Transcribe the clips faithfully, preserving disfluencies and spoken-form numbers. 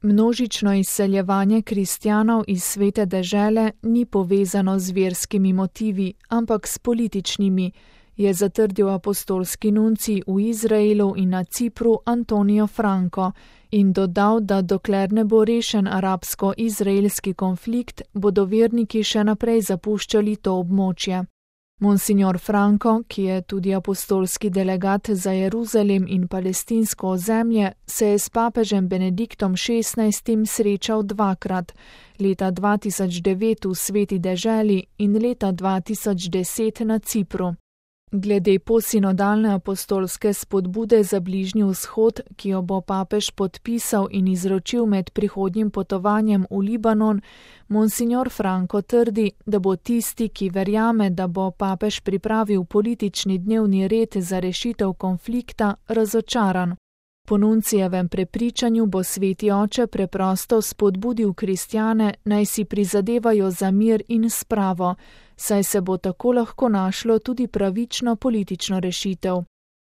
Množično izseljevanje kristjanov iz svete dežele ni povezano z verskimi motivi, ampak s političnimi, je zatrdil apostolski nuncij v Izraelu in na Cipru Antonijo Franco in dodal, da dokler ne bo rešen arabsko-izraelski konflikt, bodo verniki še naprej zapuščali to območje. Monsignor Franco, ki je tudi apostolski delegat za Jeruzalem in palestinsko ozemlje, se je s papežem Benediktom šestnajstim srečal dvakrat, leta dva tisoč devet v sveti deželi in leta dva tisoč deset na Cipru. Glede posinodalne apostolske spodbude za Bližnji vzhod, ki jo bo papež podpisal in izročil med prihodnjim potovanjem v Libanon, monsignor Franco trdi, da bo tisti, ki verjame, da bo papež pripravil politični dnevni red za rešitev konflikta, razočaran. Po nuncijevem prepričanju bo sveti oče preprosto spodbudil kristjane, naj si prizadevajo za mir in spravo, saj se bo tako lahko našlo tudi pravično politično rešitev.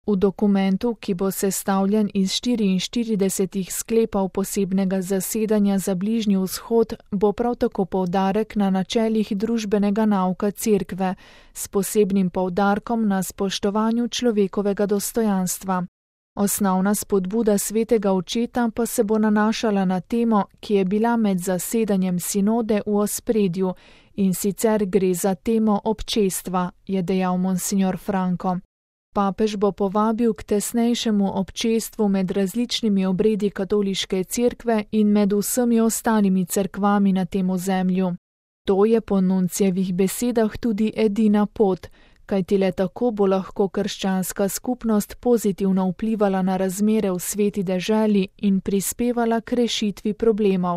V dokumentu, ki bo sestavljen iz štiriinštiridesetih sklepov posebnega zasedanja za Bližnji vzhod, bo prav tako poudarek na načelih družbenega nauka cerkve, s posebnim poudarkom na spoštovanju človekovega dostojanstva. Osnovna spodbuda svetega očeta pa se bo nanašala na temo, ki je bila med zasedanjem sinode v ospredju, in sicer gre za temo občestva, je dejal monsignor Franco. Papež bo povabil k tesnejšemu občestvu med različnimi obredi katoliške cerkve in med vsemi ostalimi cerkvami na tem ozemlju. To je po nuncijevih besedah tudi edina pot, kajti le tako bo lahko krščanska skupnost pozitivno vplivala na razmere v sveti deželi in prispevala k rešitvi problemov.